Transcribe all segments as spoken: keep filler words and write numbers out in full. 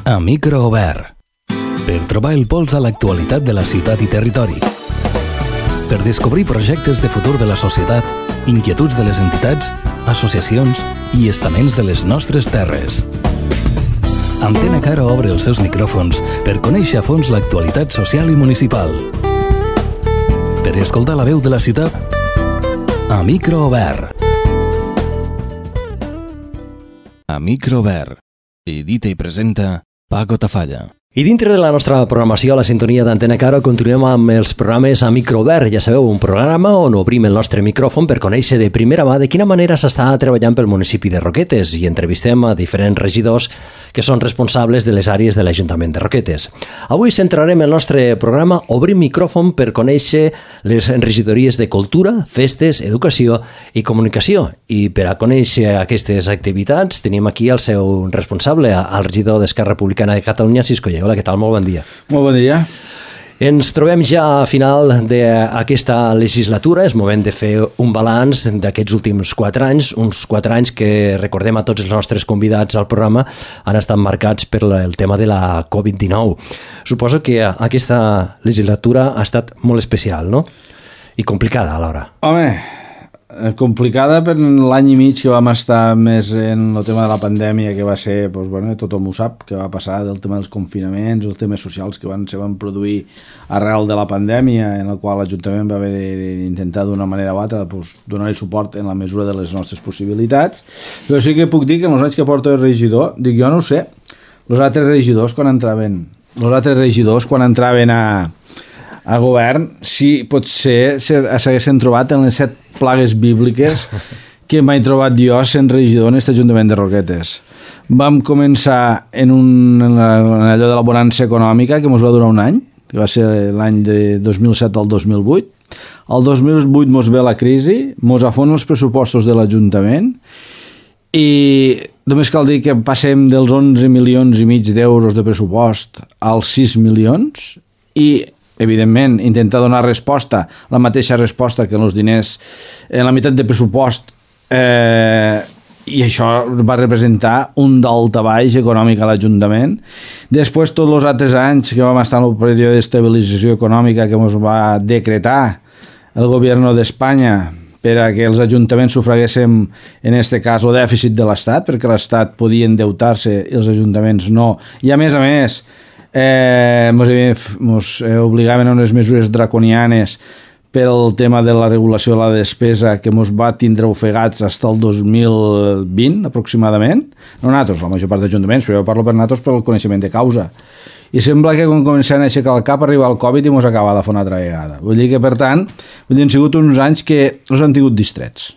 A micro obert. Per trobar el pols a l'actualitat de la ciutat i territori. Per descobrir projectes de futur de la societat, inquietuds de les entitats, associacions i estaments de les nostres terres. Antena Caro obre els seus micròfons per conèixer a fons l'actualitat social i municipal. Per escoltar la veu de la ciutat, a micro obert. A micro obert. Edita i presenta Paco Tafalla. I dintre de la nostra programació a la sintonia d'Antena Caro continuem amb els programes a micro obert. Ja sabeu, un programa on obrim el nostre micròfon per conèixer de primera mà de quina manera s'està treballant pel municipi de Roquetes i entrevistem a diferents regidors que són responsables de les àrees de l'Ajuntament de Roquetes. Avui centrarem el nostre programa Obrim micròfon per conèixer les regidories de Cultura, Festes, Educació i Comunicació. I per a conèixer aquestes activitats tenim aquí el seu responsable, el regidor d'Esquerra Republicana de Catalunya, Cisco Lleó. Hola, què tal? Molt bon dia. Molt bon dia. Ens trobem ja a final d'aquesta legislatura. És moment de fer un balanç d'aquests últims quatre anys, uns quatre anys que, recordem a tots els nostres convidats al programa, han estat marcats per el tema de la covid dinou. Suposo que aquesta legislatura ha estat molt especial, no? I complicada alhora. Home, complicada per l'any i mig que vam estar més en el tema de la pandèmia, que va ser, doncs, bueno, tothom ho sap, que va passar del tema dels confinaments, els temes socials que van, se van produir arrel de la pandèmia, en el qual l'Ajuntament va haver d'intentar d'una manera o altra doncs, donar-hi suport en la mesura de les nostres possibilitats. Però sí que puc dir que en els anys que porto de regidor, dic, jo no ho sé, els altres regidors quan entraven, els altres regidors quan entraven a a govern, sí, potser s'haguessin trobat en les set plagues bíbliques que m'he trobat jo sent regidor en aquest Ajuntament de Roquetes. Vam començar en, un, en, la, en allò de la bonança econòmica, que ens va durar un any, que va ser l'any de dos mil set al dos mil vuit. El dos mil vuit ens ve la crisi, ens afonen els pressupostos de l'Ajuntament i només cal dir que passem dels onze milions i mig d'euros de pressupost als sis milions i evidentment, intentar donar resposta, la mateixa resposta que en els diners, en la meitat de pressupost, eh, i això va representar un daltabaix econòmic a l'Ajuntament. Després, tots els altres anys que vam estar en el període d'estabilització econòmica que ens va decretar el govern d'Espanya per a que els ajuntaments sufraguéssim, en aquest cas, el dèficit de l'Estat, perquè l'Estat podia endeutar-se i els ajuntaments no. I a més a més, Eh, ens obligaven a unes mesures draconianes pel tema de la regulació de la despesa que ens va tindre ofegats fins al dos mil vint aproximadament, no nosaltres, la major part d'ajuntaments, però jo parlo per nosaltres pel coneixement de causa, i sembla que quan comencem a aixecar el cap arriba el Covid i ens acaba de fer una altra vegada. Vull dir que, per tant, vull dir, han sigut uns anys que els han tingut distrets.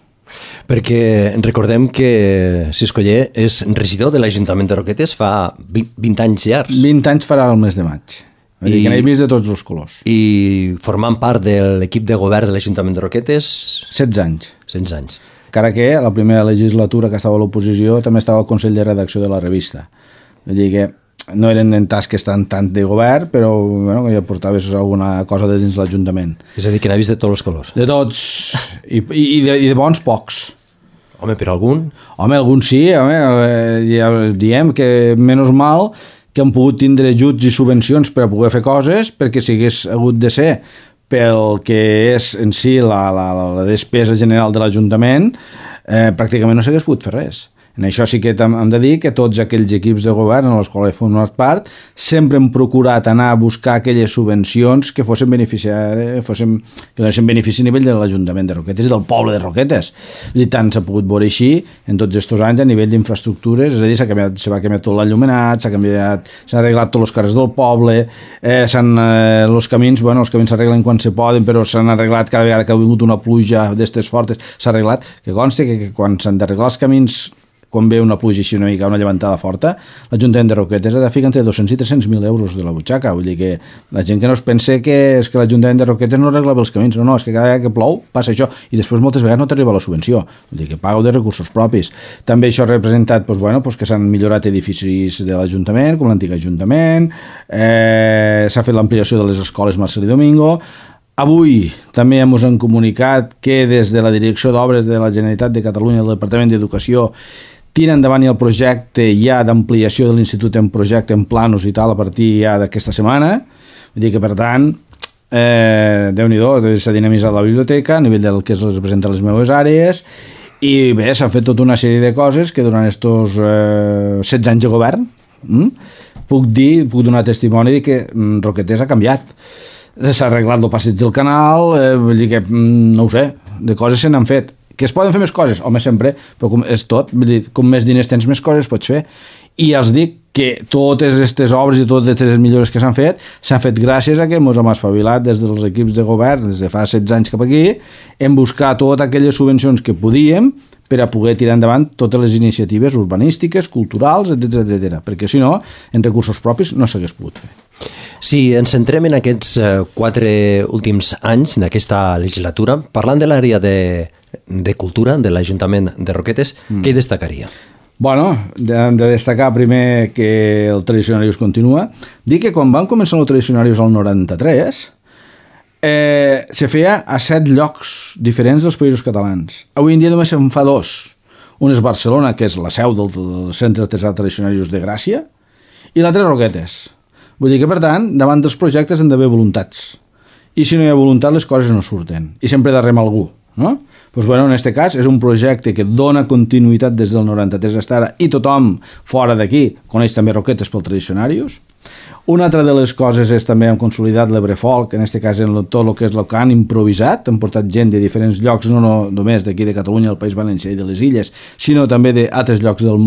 Perquè recordem que Cisco Lleó és regidor de l'Ajuntament de Roquetes fa vint anys llargs. vint anys farà el mes de maig. Vull dir que n'he vist de tots els colors. I formant part de l'equip de govern de l'Ajuntament de Roquetes... setze anys. setze anys. Encara que la primera legislatura que estava a l'oposició també estava al Consell de Redacció de la revista. Vull dir que no eren en tasques tant, tant de govern, però bueno, que ja portaves alguna cosa de dins l'Ajuntament. És a dir, que n'ha vist de tots els colors. De tots, i, i, de, i de bons pocs. Home, per algun? Home, algun sí, home, ja diem que menys mal que han pogut tindre ajuts i subvencions per a poder fer coses, perquè si hagués hagut de ser pel que és en si la, la, la despesa general de l'Ajuntament, eh, pràcticament no s'hagués pogut fer res. En això sí que hem de dir que tots aquells equips de govern en els quals he format part sempre hem procurat anar a buscar aquelles subvencions que fossin beneficiar, fossin, que donessin benefici a nivell de l'Ajuntament de Roquetes i del poble de Roquetes. I tant s'ha pogut veure així en tots aquests anys a nivell d'infraestructures, és a dir, s'ha canviat, s'ha canviat tot l'enllumenat, s'ha canviat, s'han arreglat tots els carrers del poble, eh, s'han, eh, els camins, bueno, els camins s'arreglen quan se poden, però s'han arreglat cada vegada que ha vingut una pluja d'estes fortes, s'ha arreglat, que consti que, que quan s'han d'arreglar els camins quan ve una pluja així una mica, una llevantada forta, l'Ajuntament de Roquetes ha de ficar entre dos-cents i tres-cents mil euros de la butxaca. Vull dir que la gent que no es pense que és que l'Ajuntament de Roquetes no arregla bé els camins. No, no, és que cada vegada que plou passa això i després moltes vegades no t'arriba la subvenció. Vull dir que pagueu de recursos propis. També això ha representat doncs, bueno, doncs que s'han millorat edificis de l'Ajuntament, com l'antic Ajuntament, eh, s'ha fet l'ampliació de les escoles Marcelí Domingo. Avui també ens han comunicat que des de la Direcció d'Obres de la Generalitat de Catalunya, el Departament d'Educació, tira endavant el projecte ja d'ampliació de l'institut en projecte, en planos i tal, a partir ja d'aquesta setmana. Vull dir que, per tant, eh, Déu-n'hi-do, s'ha dinamitzat la biblioteca a nivell del que es representa les meves àrees, i bé, s'han fet tota una sèrie de coses que durant estos eh, setze anys de govern hm, puc dir, puc donar testimoni de que hm, Roquetes ha canviat. S'ha arreglat el passeig del canal, eh, vull dir que, hm, no ho sé, de coses se n'han fet. Que es poden fer més coses? Home, sempre, però com és tot, vull dir, com més diners tens, més coses pots fer. I els dic que totes aquestes obres i totes aquestes millores que s'han fet s'han fet gràcies a que ens hem espavilat des dels equips de govern, des de fa setze anys cap aquí, hem buscat totes aquelles subvencions que podíem per a poder tirar endavant totes les iniciatives urbanístiques, culturals, etcètera, etcètera, perquè si no, en recursos propis no s'hagués pogut fer. Si ens centrem en aquests quatre últims anys d'aquesta legislatura, parlant de l'àrea de, de cultura de l'Ajuntament de Roquetes, mm. què hi destacaria? Bueno, hem de destacar primer que el Tradicionarius continua. Dic que quan van començar el Tradicionarius al noranta-tres, eh, se feia a set llocs diferents dels països catalans. Avui en dia només se'n fa dos. Un és Barcelona, que és la seu del, del Centre Artesà Tradicionarius de Gràcia, i l'altre és Roquetes. Vull dir que, per tant, davant dels projectes han d'haver voluntats. I si no hi ha voluntat, les coses no surten. I sempre darrere algú, no? Pues bueno, en aquest cas és un projecte que dona continuïtat des del noranta-tres fins ara i tothom fora d'aquí coneix també Roquetes pel Tradicionarius. Una altra de les coses és també hem consolidat l'Ebrefolk, en aquest cas en tot el que és el que han improvisat, han portat gent de diferents llocs, no, no només d'aquí de Catalunya, del País Valencià i de les Illes, sinó també d'altres llocs del,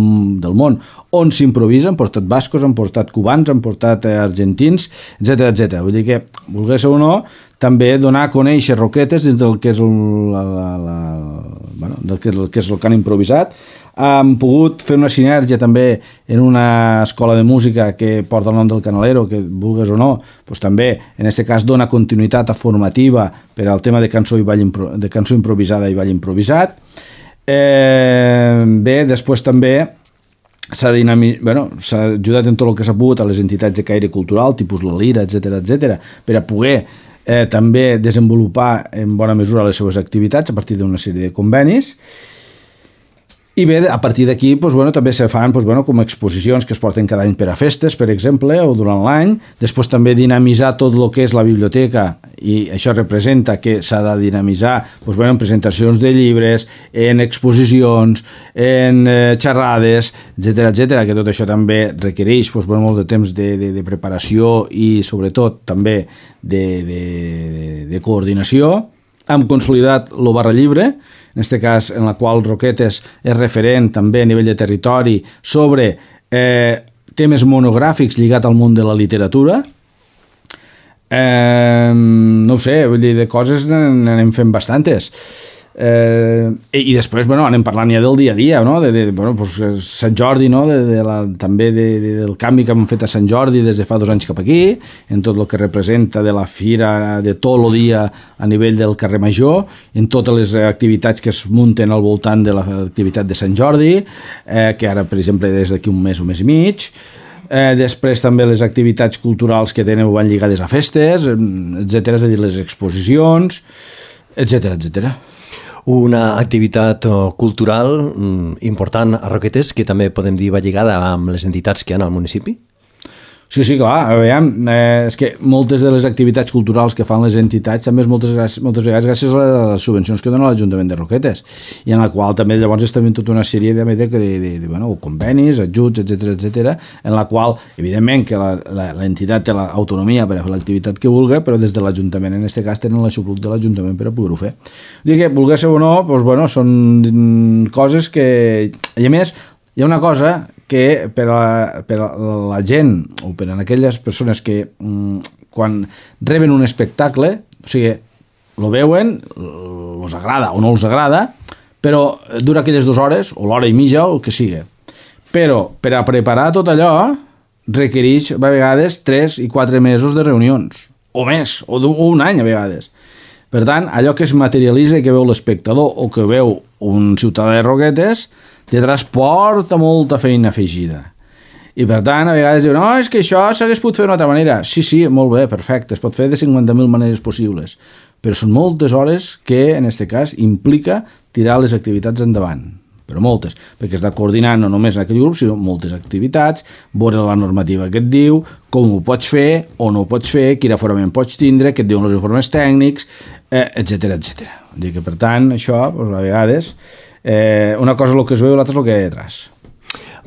del món on s'improvisa, han portat bascos, han portat cubans, han portat eh, argentins, etcètera, etcètera. Vull dir que, volgués o no, també donar a conèixer Roquetes dins del que és el, la, la, la, bueno, del que, el que és el que han improvisat. Hem pogut fer una sinergia també en una escola de música que porta el nom del Canalero, que vulgues o no, doncs també en aquest cas dona continuïtat formativa per al tema de cançó, i ball impro, de cançó improvisada i ball improvisat. Eh, bé, després també s'ha dinami... bueno, s'ha ajudat en tot el que s'ha pogut a les entitats de caire cultural, tipus la Lira, etcètera, etcètera, per a poder eh, també desenvolupar en bona mesura les seves activitats a partir d'una sèrie de convenis. I bé, a partir d'aquí, doncs, bueno, també se fan doncs, bueno, com exposicions que es porten cada any per a festes, per exemple, o durant l'any. Després també dinamitzar tot el que és la biblioteca, i això representa que s'ha de dinamitzar doncs, bueno, en presentacions de llibres, en exposicions, en eh, xerrades, etcètera, etcètera, que tot això també requereix doncs, bueno, molt de temps de, de, de preparació i, sobretot, també de, de, de, de coordinació. Hem consolidat el Barra Llibre, en aquest cas en la qual Roquetes és referent també a nivell de territori sobre eh, temes monogràfics lligats al món de la literatura. Eh, no ho sé, vull dir, de coses n'anem fent bastantes. Eh, i després, bueno, anem parlant ja del dia a dia, no? De, de, bueno, pues, Sant Jordi, no? De, de la, també de, de, del canvi que hem fet a Sant Jordi des de fa dos anys cap aquí, en tot el que representa de la fira de tot el dia a nivell del carrer Major, en totes les activitats que es munten al voltant de l'activitat de Sant Jordi, eh, que ara, per exemple, des d'aquí un mes, un mes i mig. Eh, després també les activitats culturals que tenen van lligades a festes, etcètera, és a dir, les exposicions, etcètera, etcètera. Una activitat cultural important a Roquetes que també podem dir va lligada amb les entitats que hi ha al municipi? Sí, sí, clar, veiem, eh, és que moltes de les activitats culturals que fan les entitats també és moltes, moltes vegades gràcies a les subvencions que dona l'Ajuntament de Roquetes, i en la qual també llavors està havent tota una sèrie de, de, de, de, de bueno, convenis, ajuts, etcètera, etcètera, en la qual, evidentment, que l'entitat té l'autonomia per a fer l'activitat que vulgui, però des de l'Ajuntament, en aquest cas, tenen l'aixopluc de l'Ajuntament per a poder-ho fer. Dir que, volgués ser o no, doncs, bueno, són coses que... I a més, hi ha una cosa que per a, per a la gent o per a aquelles persones que mm, quan reben un espectacle, o sigui, lo veuen, els agrada o no els agrada, però dura aquelles dues hores o l'hora i mitja o el que sigui. Però per a preparar tot allò requereix a vegades tres i quatre mesos de reunions, o més, o un any a vegades. Per tant, allò que es materialitza i que veu l'espectador o que veu un ciutadà de Roquetes de transport a molta feina afegida. I per tant, a vegades diuen, no, és que això s'hagués pogut fer d'una altra manera. Sí, sí, molt bé, perfecte, es pot fer de cinquanta mil maneres possibles, però són moltes hores que, en aquest cas, implica tirar les activitats endavant. però moltes, perquè està coordinant no només en aquell grup, sinó moltes activitats, veure la normativa que et diu, com ho pots fer o no ho pots fer, quin aforament pots tindre, què et diuen els informes tècnics, eh, etcètera, etcètera. Vull dir que, per tant, això, doncs, a vegades, eh, una cosa és el que es veu i l'altra és el que hi ha detrás.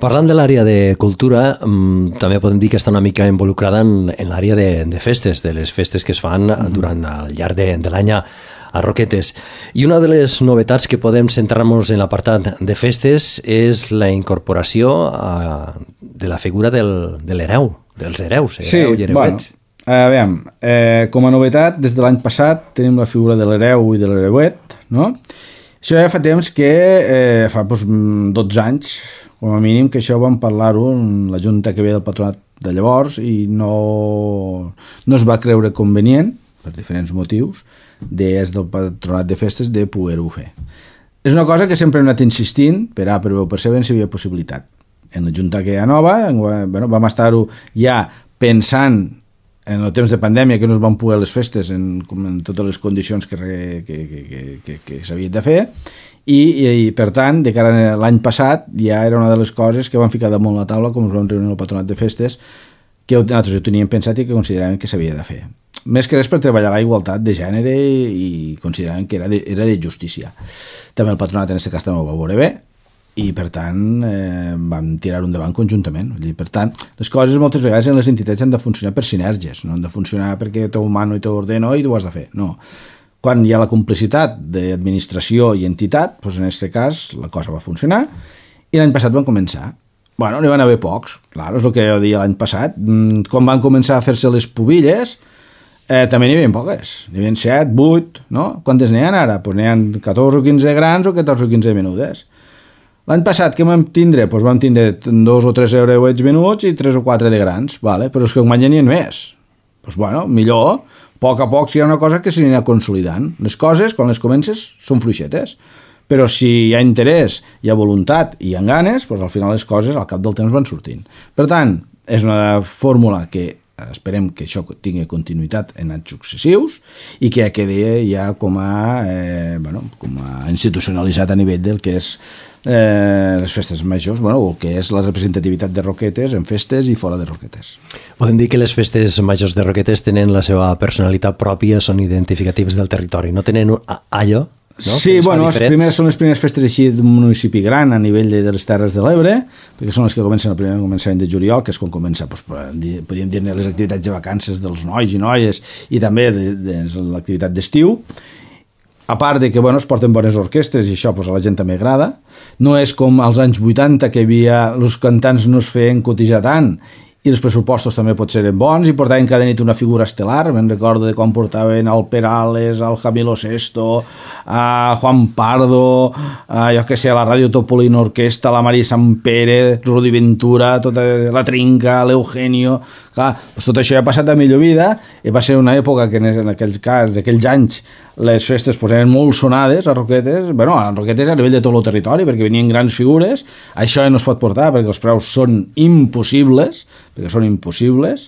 Parlant de l'àrea de cultura, mmm, també podem dir que està una mica involucrada en, en l'àrea de, de festes, de les festes que es fan mm-hmm. durant el llarg de, de l'any a Roquetes. I una de les novetats que podem centrar-nos en l'apartat de festes és la incorporació a, de la figura del, de l'hereu, dels hereus, hereu sí, i hereuets. Bueno, a veure, eh, com a novetat, des de l'any passat tenim la figura de l'hereu i de l'hereuet, no? Això ja fa temps que, eh, fa doncs, dotze anys, com a mínim, que això vam parlar-ho en la junta que ve del patronat de llavors i no, no es va creure convenient, per diferents motius, des del patronat de festes de poder-ho fer. És una cosa que sempre hem anat insistint, per A, per B o per C, si hi havia possibilitat. En la junta que hi ha nova, bueno, vam estar-ho ja pensant en el temps de pandèmia que no es van poder les festes en, en totes les condicions que, que, que, que, que s'havien de fer i, i, i per tant, de cara a l'any passat ja era una de les coses que van ficar damunt la taula com es van reunir el patronat de festes que nosaltres ho teníem pensat i que consideràvem que s'havia de fer. Més que res per treballar la igualtat de gènere i consideràvem que era de, era de justícia. També el patronat en aquest cas també ho va veure bé i per tant eh, vam tirar-ho endavant conjuntament. Per tant, les coses moltes vegades en les entitats han de funcionar per sinergies, no han de funcionar perquè teu mano i teu ordeno i tu ho has de fer, no. Quan hi ha la complicitat d'administració i entitat, doncs en aquest cas la cosa va funcionar i l'any passat van començar. Bueno, n'hi van haver pocs, clar, és el que jo deia l'any passat, quan van començar a fer-se les pubilles eh, també n'hi havia poques, n'hi havia set, vuit, no? Quantes n'hi ha ara? Doncs n'hi ha catorze o quinze grans o catorze o quinze menudes. L'any passat què vam tindre? Doncs vam tindre dos o tres eureuets menuts i tres o quatre de grans, vale? Però és que un any n'hi ha més. Doncs bueno, millor, a poc a poc si hi ha una cosa que s'anirà consolidant. Les coses, quan les comences, són fluixetes. Però si hi ha interès, hi ha voluntat i hi ha ganes, doncs al final les coses al cap del temps van sortint. Per tant, és una fórmula que esperem que això tingui continuïtat en anys successius i que quedi ja com a, eh, bueno, com a institucionalitzat a nivell del que és eh, les festes majors, bueno, o que és la representativitat de Roquetes en festes i fora de Roquetes. Podem dir que les festes majors de Roquetes tenen la seva personalitat pròpia, són identificatives del territori, no tenen allò? No? Sí, bueno, les primeres, són les primeres festes així d'un municipi gran a nivell de, de les Terres de l'Ebre, perquè són les que comencen al primer començament de juliol, que és quan comença, doncs, podríem dir-ne les activitats de vacances dels nois i noies i també de, de, de l'activitat d'estiu. A part de que, bueno, es porten bones orquestres i això doncs, a la gent també agrada. No és com als anys vuitanta que havia, els cantants no es feien cotitzar tant i els pressupostos també pot ser bons i portaven cada nit una figura estel·lar. Me'n recordo de quan portaven el Perales, el Jamilo Sesto, a Juan Pardo, a, jo que sé, a la Ràdio Topolino Orquesta, la Maria Sant Pere, Rudi Ventura, tota la Trinca, l'Eugenio. Clar, doncs tot això ja ha passat a millor vida i va ser una època que en aquells cas, aquells anys, les festes pues, eren molt sonades a Roquetes, bueno, a Roquetes a nivell de tot el territori, perquè venien grans figures. Això ja no es pot portar perquè els preus són impossibles, perquè són impossibles.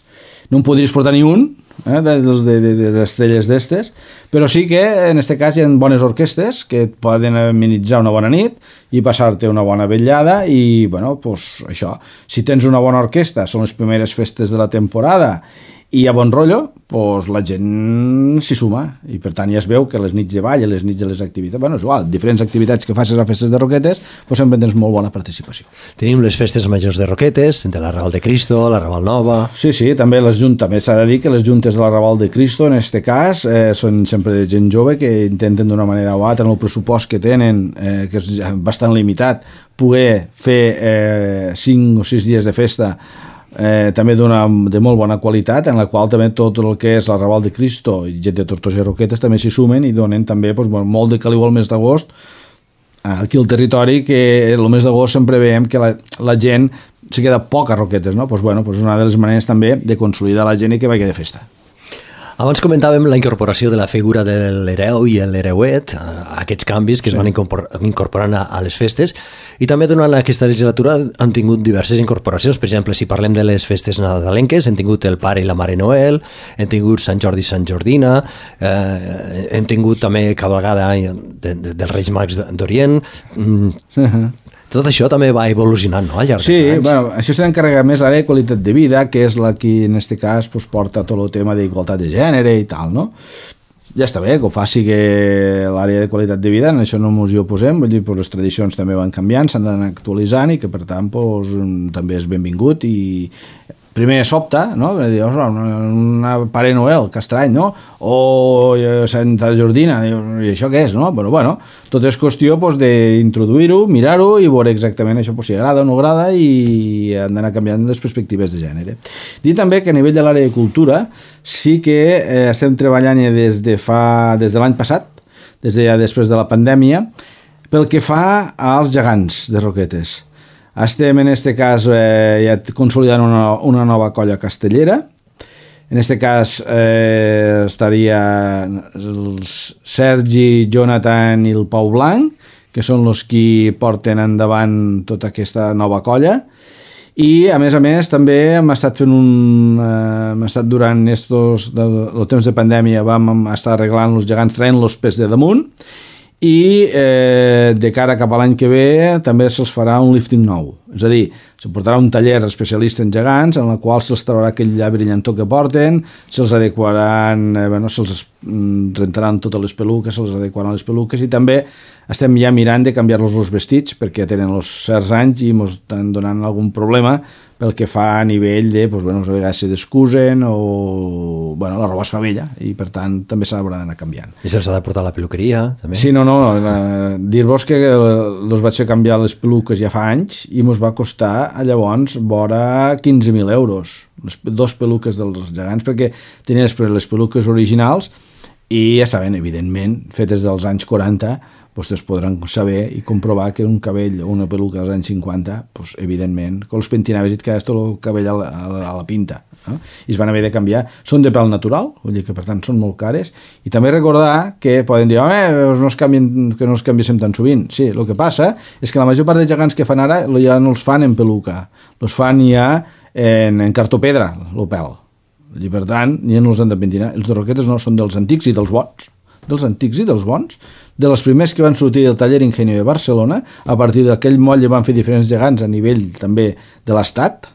No en podries portar ni un, eh, de, de, de, de estrelles d'estes, però sí que en aquest cas hi ha bones orquestes que et poden amenitzar una bona nit i passar-te una bona vetllada i, bueno, pues això, si tens una bona orquestra, són les primeres festes de la temporada i hi ha bon rotllo, doncs la gent s'hi suma i per tant ja es veu que les nits de ball i les nits de les activitats, bueno, és igual, diferents activitats que facis a festes de Roquetes, doncs sempre tens molt bona participació. Tenim les festes majors de Roquetes, de la Raval de Cristo, la Raval Nova... Sí, sí, també les juntes, també s'ha de dir que les juntes de la Raval de Cristo, en aquest cas, eh, són sempre de gent jove que intenten d'una manera o altra, en el pressupost que tenen, eh, que és bastant limitat, poder fer eh, cinc o sis dies de festa Eh, també d'una de molt bona qualitat en la qual també tot el que és la Raval de Cristo i gent de Tortosa i Roquetes també s'hi sumen i donen també doncs, molt de caliu al mes d'agost aquí al territori, que el mes d'agost sempre veiem que la, la gent se queda poc a Roquetes, no? Pues, bueno, pues una de les maneres també de consolidar la gent i que vagi de festa. Abans comentàvem la incorporació de la figura de l'hereu i l'hereuet, aquests canvis que sí. es van incorporant a, a les festes, i també durant aquesta legislatura han tingut diverses incorporacions. Per exemple, si parlem de les festes nadalenques, hem tingut el Pare i la Mare Noel, hem tingut Sant Jordi i Sant Jordina, eh, hem tingut també cavalgada de, de, dels Reis Mags d'Orient. Mm. Uh-huh. Tot això també va evolucionant, no?, al llarg sí, dels anys. Bueno, això se n'encarrega més l'àrea de qualitat de vida, que és la que en aquest cas pues, porta tot el tema d'igualtat de gènere i tal, no? Ja està bé, que ho faci que l'àrea de qualitat de vida, en això no ens hi oposem, vull dir, pues, les tradicions també van canviant, s'han d'anar actualitzant i que per tant pues, també és benvingut i primer sobta, no? Dir, una, una Pare Noel, que estrany, no? O Santa Jordina, i això què és, no? Bueno, bueno, tot és qüestió pues, d'introduir-ho, mirar-ho i veure exactament això pues, si agrada o no agrada i han d'anar canviant les perspectives de gènere. Dir també que a nivell de l'àrea de cultura sí que eh, estem treballant des de fa des de l'any passat, des de ja després de la pandèmia, pel que fa als gegants de Roquetes. Estem en aquest cas eh, ja consolidant una, una nova colla castellera. En aquest cas eh, estaria el Sergi, Jonathan i el Pau Blanc, que són els qui porten endavant tota aquesta nova colla. I a més a més també hem estat fent un eh, hem estat durant estos de, el temps de pandèmia vam estar arreglant els gegants, traient-los pes de damunt, i eh, de cara cap a l'any que ve també se'ls farà un lifting nou, és a dir, se portarà un taller especialista en gegants en el qual se'ls traurà aquell lla brillantó que porten, se'ls adequaran eh, bueno, se'ls rentaran totes les peluques, se'ls adequaran les peluques i també estem ja mirant de canviar-los els vestits perquè tenen els certs anys i ens estan donant algun problema pel que fa a nivell de, doncs, bueno, a vegades se descusen o bueno, la roba es fa vella i per tant també s'ha d'anar canviant. I se'ls ha de portar a la peluqueria també? Sí, no, no, eh, dir-vos que els vaig fer canviar les peluques ja fa anys i ens va costar llavors vora quinze mil euros, les dos peluques dels gegants, perquè tenien les peluques originals i ja estaven, evidentment, fetes dels anys quaranta, vostès podran saber i comprovar que un cabell o una peluca dels anys cinquanta, doncs, evidentment, quan els pentinaves i et quedaves tot el cabell a la, a la, a la pinta, no? I es van haver de canviar. Són de pèl natural, vull dir que per tant són molt cares, i també recordar que poden dir, home, no es canvien, que no els canviéssim tan sovint. Sí, el que passa és que la major part de gegants que fan ara ja no els fan en peluca, els fan ja en, en cartopedra, el pèl. I per tant, ja no els han de pentinar. Els de Roquetes no, són dels antics i dels bons, dels antics i dels bons, de les primers que van sortir del taller Ingenio de Barcelona. A partir d'aquell moll van fer diferents gegants a nivell també de l'estat,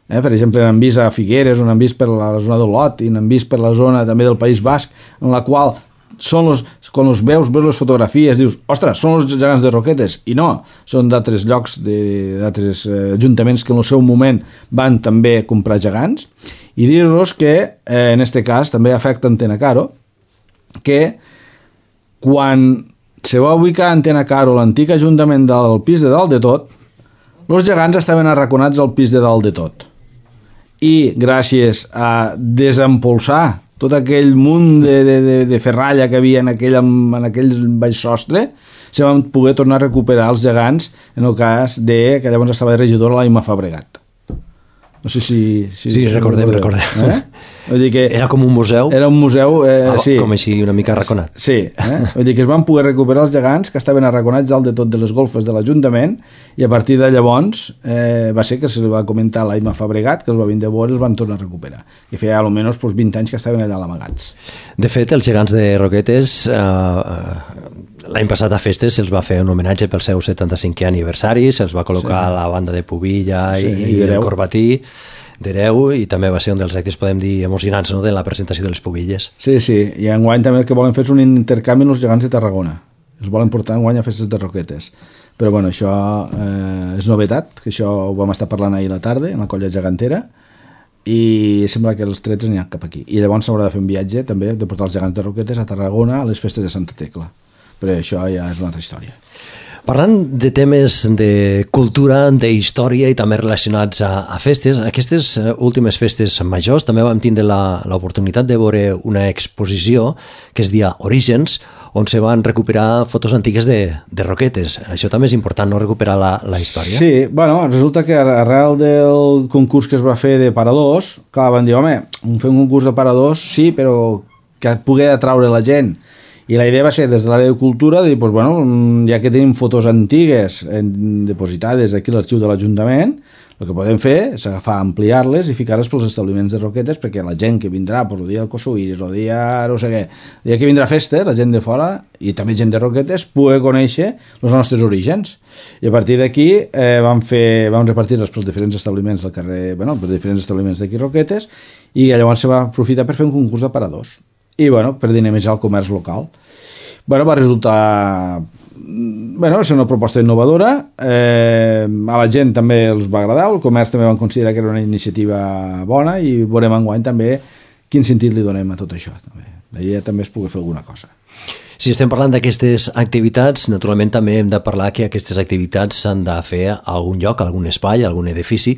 eh? Per exemple n'han vist a Figueres, n'han vist per la zona d'Olot i n'han vist per la zona també del País Basc, en la qual són los, quan els veus, veus les fotografies, dius, ostres, són els gegants de Roquetes, i no, són d'altres llocs, d'altres eh, ajuntaments que en el seu moment van també comprar gegants. I dir-vos que eh, en aquest cas també afecta Antena Caro, que quan se va ubicar Antena Caro, l'antic ajuntament del pis de dalt de tot, els gegants estaven arraconats al pis de dalt de tot. I gràcies a desempolsar tot aquell munt de, de, de, de ferralla que havia en aquell, en aquell baix sostre, se van poder tornar a recuperar els gegants en el cas de que llavors estava de regidora l'Aima Fabregat. No sé si... si sí, recordem, recordem. Eh? Vull dir que era com un museu? Era un museu, eh, ah, sí. Com així una mica arraconat. Sí, eh? Vull dir que es van poder recuperar els gegants que estaven arraconats dalt de tot de les golfes de l'Ajuntament i a partir de llavors eh, va ser que se li va comentar a l'Aima Fabregat que els va vindre a veure i els van tornar a recuperar. I feia almenys pues, vint anys que estaven allà amagats. De fet, els gegants de Roquetes eh, l'any passat a Festes se'ls va fer un homenatge pel seu setanta-cinquè aniversari, se'ls va col·locar sí. la banda de Pubilla sí, i, i el Corbatí d'Hereu, i també va ser un dels actes, podem dir, emocionants, no?, de la presentació de les Pubilles. Sí, sí, i enguany també el que volen fer és un intercanvi amb els gegants de Tarragona. Els volen portar enguany a Festes de Roquetes. Però bueno, això eh, és novetat, que això ho vam estar parlant ahir a la tarda, en la colla gegantera, i sembla que els trets aniran cap aquí. I llavors s'haurà de fer un viatge també de portar els gegants de Roquetes a Tarragona a les festes de Santa Tecla. Però això ja és una altra història. Parlant de temes de cultura, d'història i també relacionats a, a festes, aquestes últimes festes majors també vam tindre l'oportunitat de veure una exposició que es dia Orígens, on se van recuperar fotos antigues de, de Roquetes. Això també és important, no?, recuperar la, la història. Sí, bueno, resulta que arrel del concurs que es va fer de paradors, clar, van dir, home, fer un concurs de paradors, sí, però que pugui atraure la gent. I la idea va ser, des de l'àrea de cultura, de dir, pues, bueno, ja que tenim fotos antigues eh, depositades aquí a l'arxiu de l'Ajuntament, El que podem fer és agafar, ampliar-les i ficar-les pels establiments de Roquetes perquè la gent que vindrà, pues, el dia del Kossuiris, el dia, no sé què, el dia que vindrà a festes, la gent de fora i també gent de Roquetes pugui conèixer els nostres orígens. I a partir d'aquí eh, vam, fer, vam repartir-les pels diferents establiments del carrer, bueno, pels diferents establiments d'aquí Roquetes, i llavors se va aprofitar per fer un concurs de paradors i bueno, per dinamitzar el comerç local. Bueno, va resultar... Bueno, és una proposta innovadora, eh, a la gent també els va agradar, el comerç també van considerar que era una iniciativa bona i veurem enguany també quin sentit li donem a tot això. D'ahir també es pugui fer alguna cosa. Si estem parlant d'aquestes activitats, naturalment també hem de parlar que aquestes activitats s'han de fer a algun lloc, a algun espai, a algun edifici.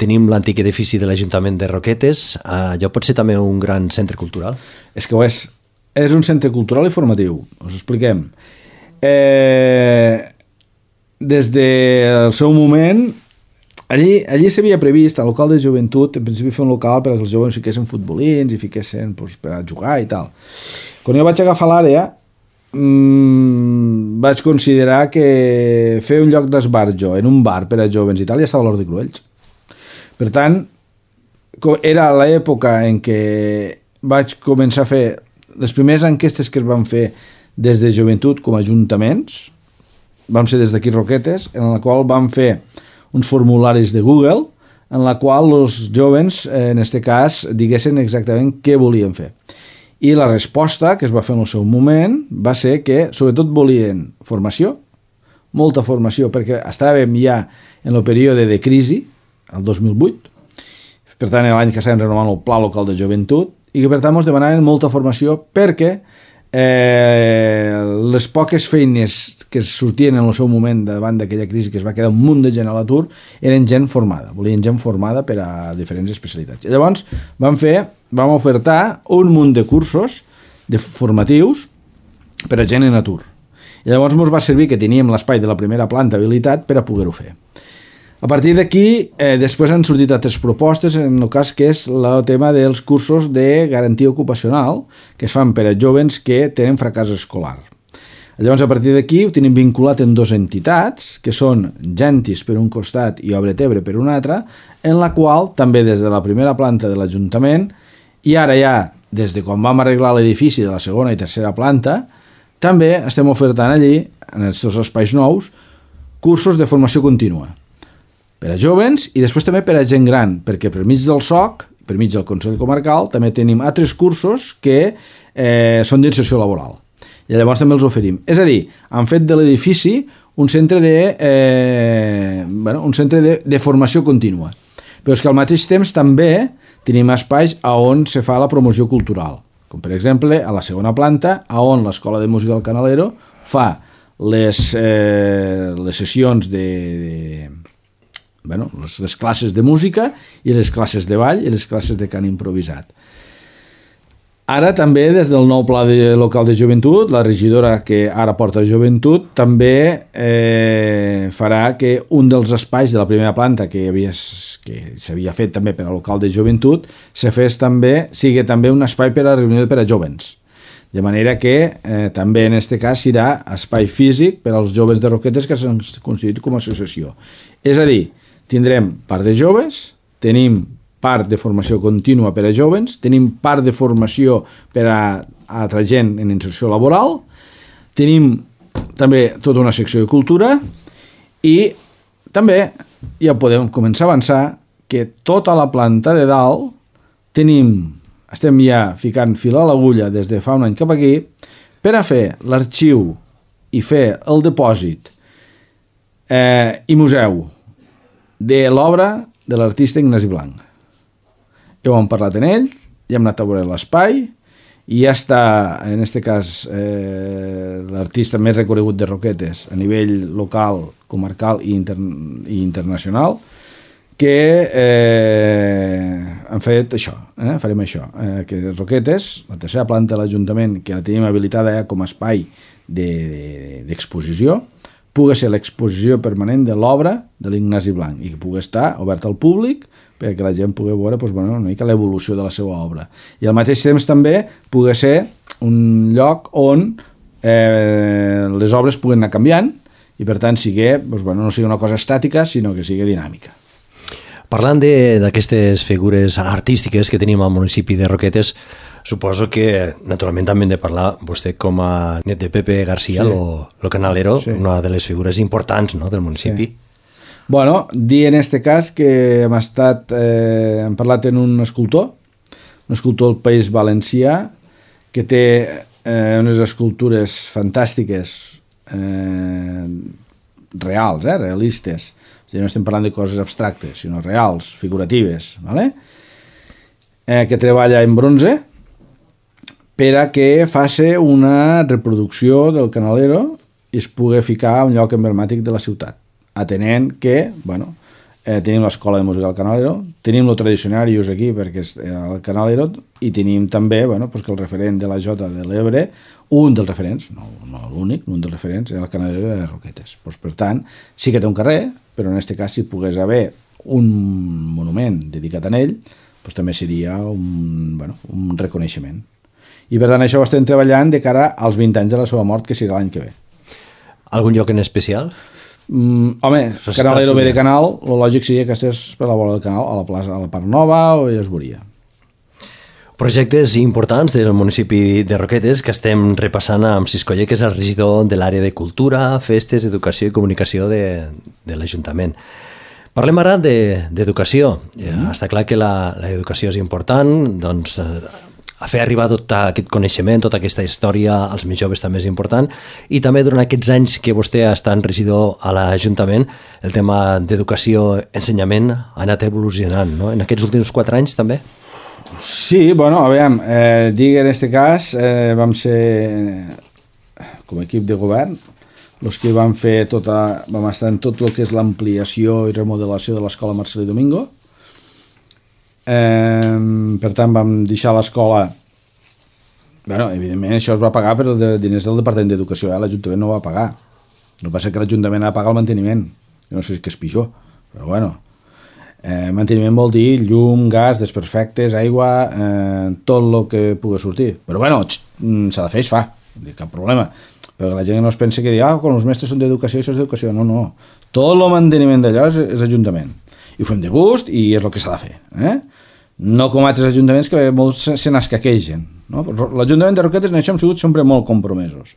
Tenim l'antic edifici de l'Ajuntament de Roquetes, allò pot ser també un gran centre cultural? És que ho és. És un centre cultural i formatiu, us expliquem. Eh, des del seu moment allí, allí s'havia previst al local de joventut en principi fer un local per que els joves fiquessin futbolins i fiquessin pues, per a jugar i tal. Quan jo vaig agafar l'àrea mmm, vaig considerar que fer un lloc d'esbarjo en un bar per a joves i tal ja estava a l'Hort de Cruells. Per tant, era l'època en què vaig començar a fer les primeres enquestes que es van fer des de joventut com a ajuntaments, vam ser des d'aquí Roquetes, en la qual vam fer uns formularis de Google en la qual els joves, en aquest cas, diguessin exactament què volien fer. I la resposta que es va fer en el seu moment va ser que sobretot volien formació, molta formació, perquè estàvem ja en el període de crisi, el dos mil vuit, per tant l'any que estàvem renovant el Pla Local de Joventut, i que per tant ens demanaven molta formació perquè eh, les poques feines que sortien en el seu moment davant d'aquella crisi que es va quedar un munt de gent a l'atur eren gent formada, volien gent formada per a diferents especialitats. I llavors vam fer, vam ofertar un munt de cursos de formatius per a gent en atur. I llavors ens va servir que teníem l'espai de la primera planta habilitat per a poder-ho fer. A partir d'aquí, eh, després han sortit altres propostes, en el cas que és el tema dels cursos de garantia ocupacional, que es fan per a joves que tenen fracàs escolar. Llavors, a partir d'aquí, ho tenim vinculat en dues entitats, que són Gentis per un costat i Obret Ebre per un altre, en la qual, també des de la primera planta de l'Ajuntament, i ara ja, des de quan vam arreglar l'edifici de la segona i tercera planta, també estem ofertant allí, en aquests espais nous, cursos de formació contínua per a joves i després també per a gent gran, perquè per mig del S O C, per mig del Consell Comarcal, també tenim altres cursos que eh, són d'inserció laboral. I llavors també els oferim. És a dir, han fet de l'edifici un centre de, eh, bueno, un centre de, de formació contínua. Però és que al mateix temps també tenim espais a on se fa la promoció cultural, com per exemple a la segona planta, a on l'Escola de Música del Canalero fa les, eh, les sessions de... de Bueno, les, les classes de música i les classes de ball i les classes de cant improvisat. Ara també des del nou pla de, local de joventut, la regidora que ara porta joventut també eh, farà que un dels espais de la primera planta que havia, que s'havia fet també per a local de joventut se fes també, sigui també un espai per a reunió per a jovens. De manera que eh, també en aquest cas serà espai físic per als joves de Roquetes que s'han constituït com a associació. És a dir, tindrem part de joves, tenim part de formació contínua per a joves, tenim part de formació per a altra gent en inserció laboral, tenim també tota una secció de cultura i també ja podem començar a avançar que tota la planta de dalt tenim, estem ja ficant fil a l'agulla des de fa un any cap aquí per a fer l'arxiu i fer el depòsit eh, i museu de l'obra de l'artista Ignasi Blanc. Ja ho hem parlat en ell, ja hem anat a veure l'espai i ja està, en aquest cas, eh, l'artista més reconegut de Roquetes a nivell local, comarcal i, inter i internacional, que eh, han fet això, eh, farem això, eh, que Roquetes, la tercera planta de l'Ajuntament, que la tenim habilitada ja com a espai d'exposició, de, de, pugui ser l'exposició permanent de l'obra de l'Ignasi Blanc i que pugui estar obert al públic perquè la gent pugui veure doncs, bueno, una mica l'evolució de la seva obra. I al mateix temps també pugui ser un lloc on eh, les obres puguen anar canviant i per tant sigui, doncs, bueno, no sigui una cosa estàtica sinó que sigui dinàmica. Parlant d'aquestes figures artístiques que tenim al municipi de Roquetes, suposo que, naturalment, també hem de parlar, vostè com a net de Pepe García, sí. lo, lo canalero, sí. Una de les figures importants, no?, del municipi. Sí. Bueno, dir en este cas que hem estat, eh, hem parlat en un escultor, un escultor del País Valencià, que té eh, unes escultures fantàstiques, eh, reals, eh, realistes. O sigui, no estem parlant de coses abstractes, sinó reals, figuratives, ¿vale? eh, que treballa en bronze, per a que faci una reproducció del canalero i es pugui ficar a un lloc emblemàtic de la ciutat, atenent que, bueno, eh, tenim l'escola de música del Canalero, tenim el tradicionarius aquí perquè és el Canalero, i tenim també, bueno, pues que el referent de la Jota de l'Ebre, un dels referents, no, no l'únic, un dels referents és el Canalero de Roquetes. Pues, per tant, sí que té un carrer, però en aquest cas si pogués haver un monument dedicat a ell, pues també seria un, bueno, un reconeixement. I per tant això ho estem treballant de cara als vint anys de la seva mort, que serà l'any que ve. Algun lloc en especial? Mm, home, Canalero ve de Canal, el lògic seria que estigués per la vora del Canal, a la plaça, a la Part Nova, o ja es veuria. Projectes importants del municipi de Roquetes que estem repassant amb Siscoller, que és el regidor de l'àrea de Cultura, Festes, Educació i Comunicació de, de l'Ajuntament. Parlem ara d'educació. De, mm. Està clar que l'educació és important, doncs a fer arribar tot aquest coneixement, tota aquesta història als més joves també és important, i també durant aquests anys que vostè ha estat regidor a l'Ajuntament, el tema d'educació, ensenyament ha anat evolucionant, no? En aquests últims quatre anys també? Sí, bueno, a veure, eh, dic en aquest cas, eh, vam ser, com a equip de govern, els que vam fer tota, vam estar en tot el que és l'ampliació i remodelació de l'escola Marcelí Domingo. Eh, per tant vam deixar l'escola, bueno, evidentment això es va pagar per de diners del Departament d'Educació, eh? L'Ajuntament no va pagar, no passa que l'Ajuntament ha de pagar el manteniment, no sé si és pitjor, però bueno, eh, manteniment vol dir llum, gas, desperfectes, aigua, eh, tot el que pugui sortir, però bueno, s'ha de fer, es fa, cap problema, però la gent no es pensa que dir, ah, quan els mestres són d'educació, això és d'educació, no, no, tot el manteniment d'allò és, és Ajuntament, i ho fem de gust i és el que s'ha de fer, eh? No com altres ajuntaments que molts se n'escaquegen, no? L'Ajuntament de Roquetes en això hem sigut sempre molt compromesos.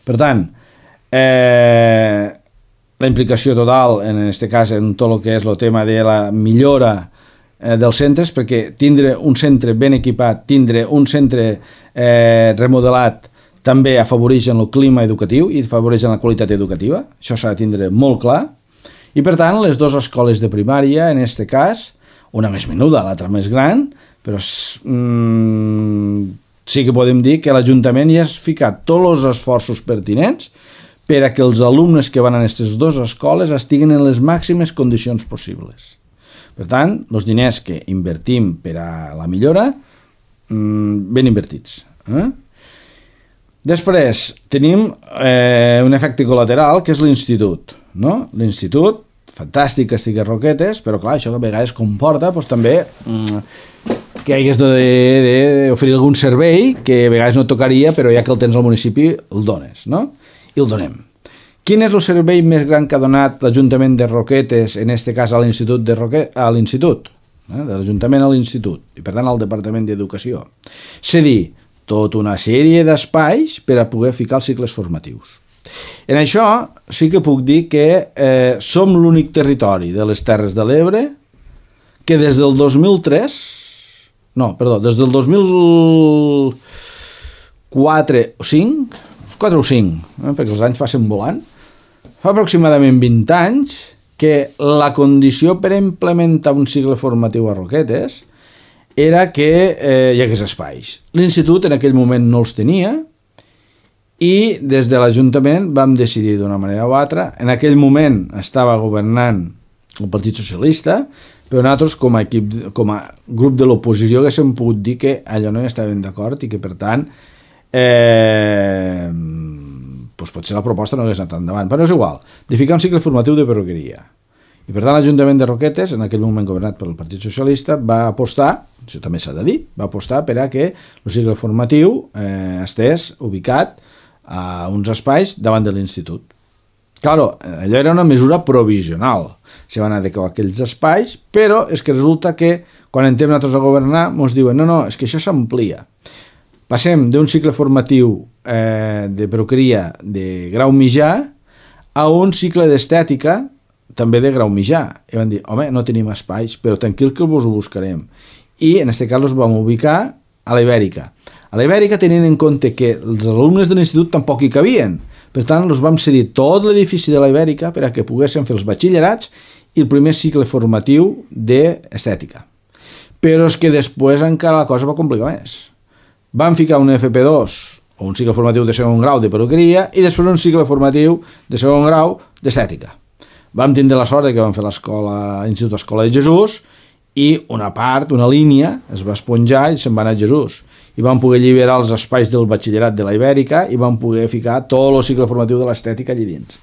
Per tant, eh, la implicació total en aquest cas en tot el que és el tema de la millora eh, dels centres, perquè tindre un centre ben equipat, tindre un centre eh, remodelat també afavoreix el clima educatiu i afavoreix la qualitat educativa, això s'ha de tindre molt clar. I per tant, les dues escoles de primària, en aquest cas, una més menuda, l'altra més gran, però mm, sí que podem dir que l'Ajuntament ja ha ficat tots els esforços pertinents per a que els alumnes que van a aquestes dues escoles estiguen en les màximes condicions possibles. Per tant, els diners que invertim per a la millora, mm, ben invertits. Eh? Després, tenim eh, un efecte col·lateral, que és l'institut. No? L'institut, fantàstic que estigui a Roquetes, però clar, això a vegades comporta doncs, també mm, que hagués d'oferir algun servei que a vegades no tocaria, però ja que el tens al municipi el dones, no? I el donem. Quin és el servei més gran que ha donat l'Ajuntament de Roquetes, en aquest cas a l'Institut de Roquetes, a l'Institut, eh? de l'Ajuntament a l'Institut, i per tant al Departament d'Educació? És a dir, tota una sèrie d'espais per a poder ficar els cicles formatius. En això sí que puc dir que eh, som l'únic territori de les Terres de l'Ebre que des del dos mil tres, no, perdó, des del dos mil quatre o cinc, quatre o cinc, eh, perquè els anys passen volant, fa aproximadament vint anys que la condició per implementar un cicle formatiu a Roquetes era que eh, hi hagués espais. L'institut en aquell moment no els tenia, i des de l'Ajuntament vam decidir d'una manera o altra. En aquell moment estava governant el Partit Socialista, però nosaltres com a, equip, com a grup de l'oposició haguéssim pogut dir que allò no hi estàvem d'acord i que per tant eh, doncs potser la proposta no hagués anat endavant, però és igual, de ficar un cicle formatiu de perruqueria. I per tant l'Ajuntament de Roquetes, en aquell moment governat pel Partit Socialista, va apostar, això també s'ha de dir, va apostar per a que el cicle formatiu eh, estés ubicat a uns espais davant de l'institut. Claro, allò era una mesura provisional. Se van adequar aquells espais, però és que resulta que quan entrem nosaltres a governar ens diuen no, no, és que això s'amplia. Passem d'un cicle formatiu eh, de peruqueria de grau mitjà a un cicle d'estètica també de grau mitjà. I van dir, home, no tenim espais, però tranquil que vos ho buscarem. I en aquest cas els vam ubicar a la Ibèrica. A la Ibèrica tenint en compte que els alumnes de l'institut tampoc hi cabien. Per tant, els vam cedir tot l'edifici de la Ibèrica per a que poguessin fer els batxillerats i el primer cicle formatiu d'estètica. Però és que després encara la cosa va complicar més. Vam ficar un F P dos, o un cicle formatiu de segon grau de peruqueria, i després un cicle formatiu de segon grau d'estètica. Vam tindre la sort que vam fer l'escola, l'Institut Escola de Jesús, i una part, una línia, es va esponjar i se'n va anar a Jesús. I vam poder alliberar els espais del batxillerat de la Ibèrica i vam poder ficar tot el cicle formatiu de l'estètica allà dins.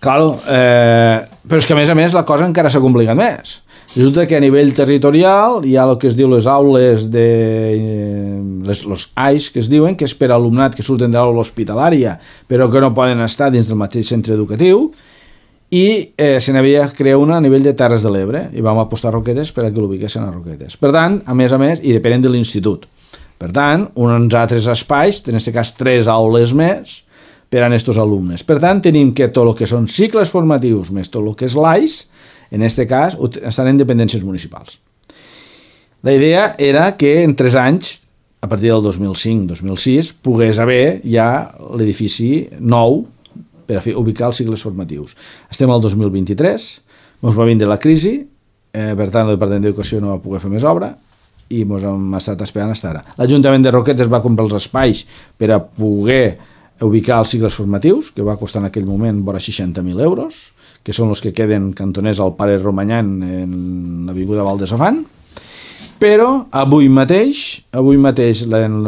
Claro, eh, però és que a més a més la cosa encara s'ha complicat més. Resulta que a nivell territorial hi ha el que es diu les aules de eh, les, los A I S que es diuen, que és per alumnat que surten de l'aula hospitalària però que no poden estar dins del mateix centre educatiu, i eh, se n'havia creat una a nivell de Terres de l'Ebre i vam apostar a Roquetes per a que l'ubiquessin a Roquetes. Per tant, a més a més, i depenent de l'institut. Per tant, uns altres espais, en aquest cas tres aules més, per a aquests alumnes. Per tant, tenim que tot el que són cicles formatius més tot el que és l'A I S, en aquest cas, estan en dependències municipals. La idea era que en tres anys, a partir del dos mil cinc dos mil sis, pogués haver ja l'edifici nou per a fer, ubicar els cicles formatius. Estem al dos mil vint-i-tres, ens va vindre la crisi, eh, per tant el Departament d'Educació no va poder fer més obra i ens hem estat esperant fins ara. L'Ajuntament de Roquetes va comprar els espais per a poder ubicar els cicles formatius, que va costar en aquell moment vora seixanta mil euros, que són els que queden cantoners al Pare Romanyan en l'avinguda Val de Safant. Però avui mateix, avui mateix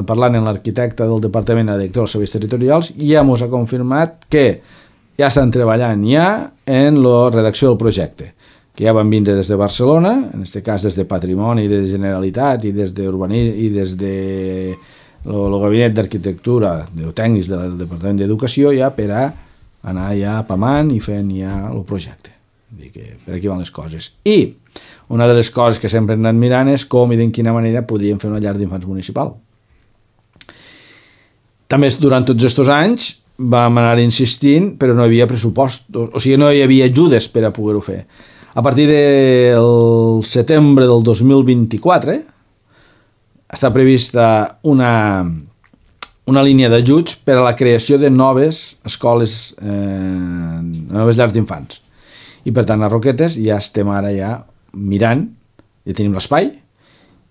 parlant amb l'arquitecte del Departament de Director dels Serveis Territorials, ja ens ha confirmat que ja estan treballant ja en la redacció del projecte, que ja van vindre des de Barcelona, en aquest cas des de Patrimoni, de Generalitat i des d'Urbanisme i des de el Gabinet d'Arquitectura de tècnics del Departament d'Educació ja per a anar ja apamant i fent ja el projecte. Vull dir que per aquí van les coses. I una de les coses que sempre hem anat mirant és com i de quina manera podíem fer una llar d'infants municipal. També durant tots aquests anys vam anar insistint, però no hi havia pressupost, o sigui, no hi havia ajudes per a poder-ho fer. A partir del setembre del dos mil vint-i-quatre està prevista una, una línia d'ajuts per a la creació de noves escoles, eh, noves llars d'infants. I per tant a Roquetes ja estem ara ja mirant, ja tenim l'espai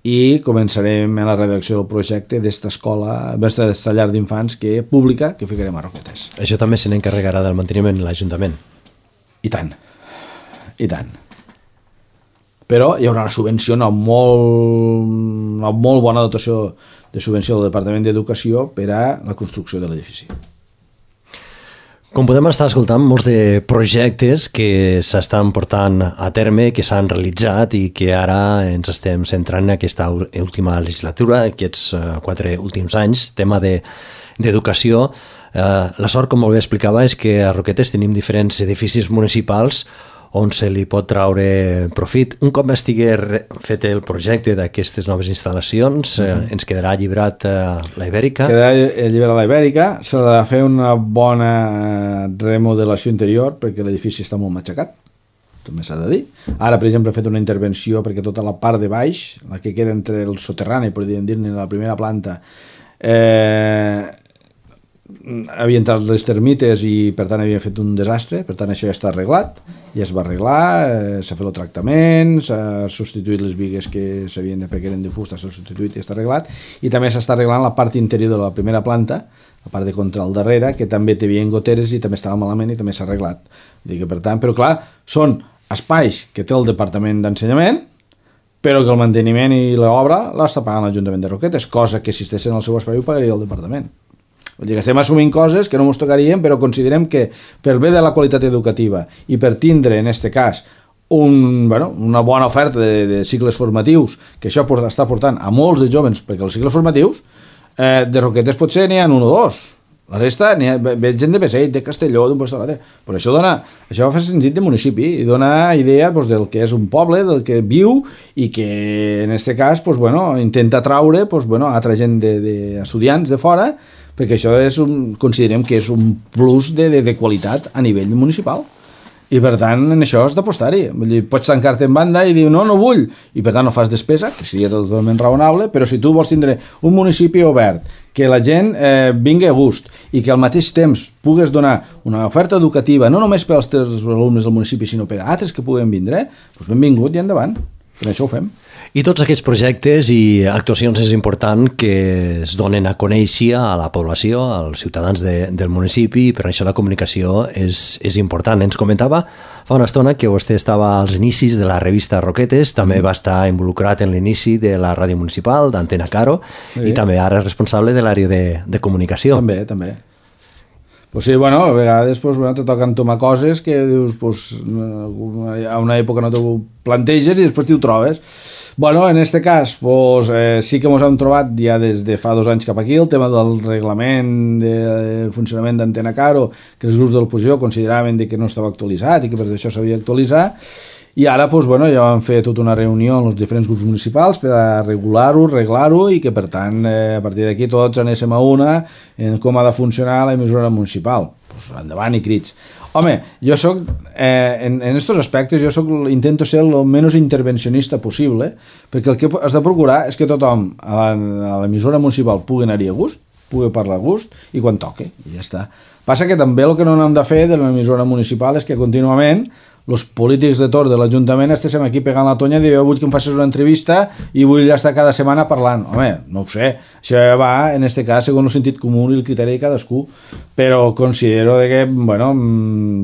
i començarem a la redacció del projecte d'esta escola, d'esta llar d'infants que pública que ficarem a Roquetes. Això també se n'encarregarà del manteniment l'Ajuntament? I tant, i tant. Però hi haurà una subvenció, una molt, una molt bona dotació de subvenció del Departament d'Educació per a la construcció de l'edifici. Com podem estar escoltant, molts de projectes que s'estan portant a terme, que s'han realitzat i que ara ens estem centrant en aquesta última legislatura, aquests quatre últims anys, tema d'educació. La sort, com molt bé explicava, és que a Roquetes tenim diferents edificis municipals on se li pot traure profit. Un cop estigui fet el projecte d'aquestes noves instal·lacions, mm-hmm. ens quedarà alliberat la Ibèrica? Quedarà alliberat la Ibèrica, s'ha de fer una bona remodelació interior perquè l'edifici està molt matxacat, també s'ha de dir. Ara, per exemple, he fet una intervenció perquè tota la part de baix, la que queda entre el soterrani, podríem dir-ne, la primera planta, eh, havia entrat les termites i per tant havia fet un desastre, per tant això ja està arreglat, ja es va arreglar, eh, s'ha fet el tractament, s'ha substituït les bigues que s'havien de perquè eren de fusta, s'ha substituït i està arreglat, i també s'està arreglant la part interior de la primera planta, la part de contra al darrere, que també té havia goteres i també estava malament i també s'ha arreglat. Dic, per tant, però clar, són espais que té el Departament d'Ensenyament, però que el manteniment i l'obra l'està pagant l'Ajuntament de Roquetes, cosa que si estessin al seu espai ho pagaria el Departament. Vull dir que estem assumint coses que no ens tocarien, però considerem que per bé de la qualitat educativa i per tindre, en aquest cas, un, bueno, una bona oferta de, de cicles formatius, que això porta, està portant a molts de jóvens, perquè els cicles formatius eh, de Roquetes potser n'hi ha un o dos. La resta, ha, ve gent de Beseit, de Castelló, d'un lloc a l'altre. Però això dona, això fa sentit de municipi i dona idea pues, del que és un poble, del que viu i que en aquest cas pues, bueno, intenta atraure pues, bueno, altra gent d'estudiants de, de fora, perquè això és un, considerem que és un plus de, de, de qualitat a nivell municipal. I per tant, en això has d'apostar-hi. Pots tancar-te en banda i dir no, no vull, i per tant no fas despesa, que seria totalment raonable, però si tu vols tindre un municipi obert, que la gent eh, vingui a gust i que al mateix temps pugues donar una oferta educativa, no només per als teus alumnes del municipi, sinó per a altres que puguen vindre, doncs benvingut i endavant. Per això ho fem. I tots aquests projectes i actuacions és important que es donen a conèixer a la població, als ciutadans de, del municipi, i per això la comunicació és, és important. Ens comentava fa una estona que vostè estava als inicis de la revista Roquetes, també va estar involucrat en l'inici de la ràdio municipal, d'Antena Caro, sí. I també ara és responsable de l'àrea de, de comunicació. També, també. Pues sí, bueno, a vegades pues, bueno, te toquen tomar coses que dius, pues, a una època no t'ho planteges i després t'ho trobes. Bueno, en este cas, pues, eh, sí que ens hem trobat ja des de fa dos anys cap aquí el tema del reglament de funcionament d'Antena Caro, que els grups de l'oposició consideraven que no estava actualitzat i que per això s'havia d'actualitzar. I ara pues, bueno, ja vam fer tota una reunió amb els diferents grups municipals per a regular-ho, arreglar-ho i que per tant eh, a partir d'aquí tots anéssim a una en com ha de funcionar la emissora municipal. Pues, endavant i crits. Home, jo soc, eh, en, en estos aspectes jo soc, intento ser el menys intervencionista possible, perquè el que has de procurar és que tothom a l'emissora municipal pugui anar-hi a gust, pugui parlar a gust i quan toque, i ja està. Passa que també el que no hem de fer de l'emissora municipal és que contínuament els polítics de torn de l'Ajuntament estéssim aquí pegant la tonya i dir, jo vull que em facis una entrevista i vull estar cada setmana parlant. Home, no ho sé, això va, en este cas, segons el sentit comú i el criteri de cadascú, però considero que, bueno,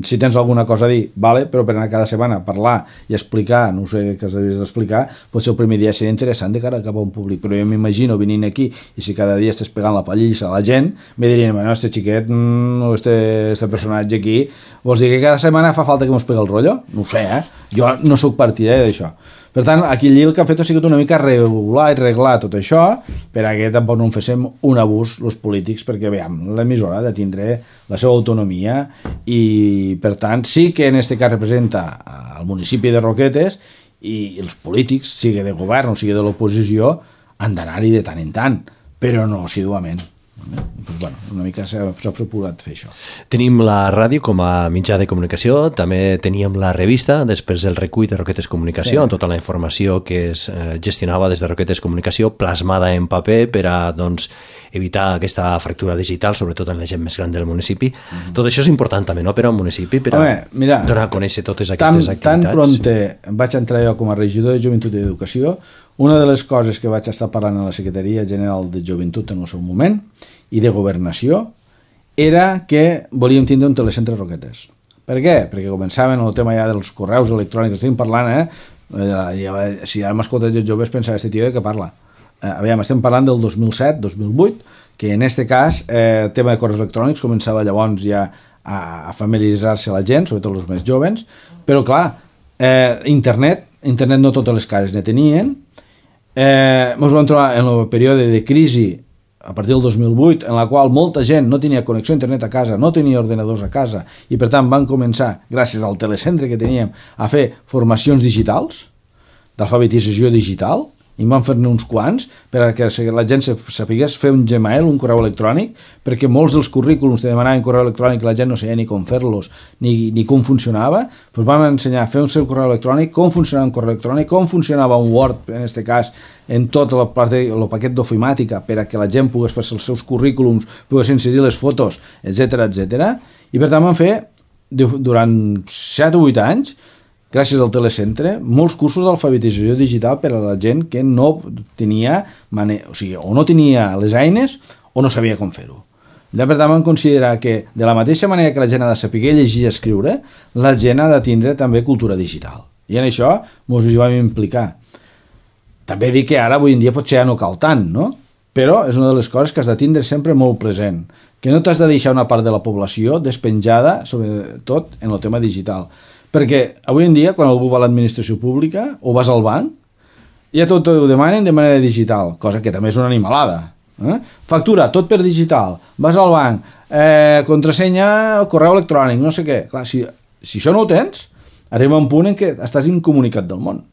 si tens alguna cosa a dir, vale, però per anar cada setmana a parlar i explicar, no sé què has d'explicar, potser el primer dia seria interessant de cara cap a un públic, però jo m'imagino venint aquí i si cada dia estàs pegant la pallissa a la gent, me dirien, bueno, este xiquet mm, o este, este personatge aquí, vols dir que cada setmana fa falta que mos pega el rotllo? No ho sé, eh? Jo no sóc partidari d'això. Per tant, aquí el que ha fet ha sigut una mica regular i reglar tot això perquè tampoc no en féssim un abús els polítics, perquè veiem, l'emissora ha de tindre la seva autonomia i per tant sí que en aquest cas representa el municipi de Roquetes i els polítics, sigui de govern o sigui de l'oposició, han d'anar-hi de tant en tant, però no assiduament. Pues bueno, una mica s'ha procurat fer això. Tenim la ràdio com a mitjà de comunicació, també teníem la revista, després del recull de Roquetes Comunicació, sí. Amb tota la informació que es eh, gestionava des de Roquetes Comunicació, plasmada en paper per a doncs, evitar aquesta fractura digital, sobretot en la gent més gran del municipi. Mm-hmm. Tot això és important també, no?, per a un municipi, per a Home, mira, donar a conèixer totes aquestes tan, activitats. Tan pronte vaig entrar jo com a regidor de Joventut i Educació, una de les coses que vaig estar parlant a la Secretaria General de Joventut en el seu moment i de Governació era que volíem tindre un telecentre Roquetes. Per què? Perquè començaven el tema ja dels correus electrònics, estem parlant, eh? Ja, si ara m'escoltes els joves pensava, este tio de què parla? Eh, aviam, estem parlant del dos mil set dos mil vuit, que en este cas eh, el tema de correus electrònics començava llavors ja a, a familiaritzar-se la gent, sobretot els més jovens, però clar, eh, internet, internet no totes les cases ne tenien. Eh, ens vam trobar en el període de crisi a partir del dos mil vuit, en la qual molta gent no tenia connexió a internet a casa, no tenia ordenadors a casa, i per tant van començar, gràcies al telecentre que teníem, a fer formacions digitals, d'alfabetització digital, i en van fer-ne uns quants perquè la gent sapigués fer un Gmail, un correu electrònic, perquè molts dels currículums que demanaven correu electrònic la gent no sabia ni com fer-los ni, ni com funcionava, doncs vam ensenyar a fer un seu correu electrònic, com funcionava un correu electrònic, com funcionava un Word, en aquest cas, en tot el, el paquet d'ofimàtica per a que la gent pogués fer els seus currículums, pogués inserir les fotos, etcètera, etcètera. I per tant vam fer, durant set o vuit anys, gràcies al telecentre, molts cursos d'alfabetització digital per a la gent que no tenia, mane... o sigui, o no tenia les eines o no sabia com fer-ho. Ja per tant vam considerar que de la mateixa manera que la gent ha de saber llegir i escriure, la gent ha de tindre també cultura digital. I en això ens hi vam implicar. També dic que ara, avui en dia, potser ja no cal tant, no? Però és una de les coses que has de tindre sempre molt present, que no t'has de deixar una part de la població despenjada, sobretot en el tema digital. Perquè avui en dia, quan algú va a l'administració pública o vas al banc, ja tot ho demanen de manera digital, cosa que també és una animalada. Eh? Factura, tot per digital, vas al banc, eh, contrasenya, correu electrònic, no sé què. Clar, si, si això no ho tens, arriba un punt en què estàs incomunicat del món.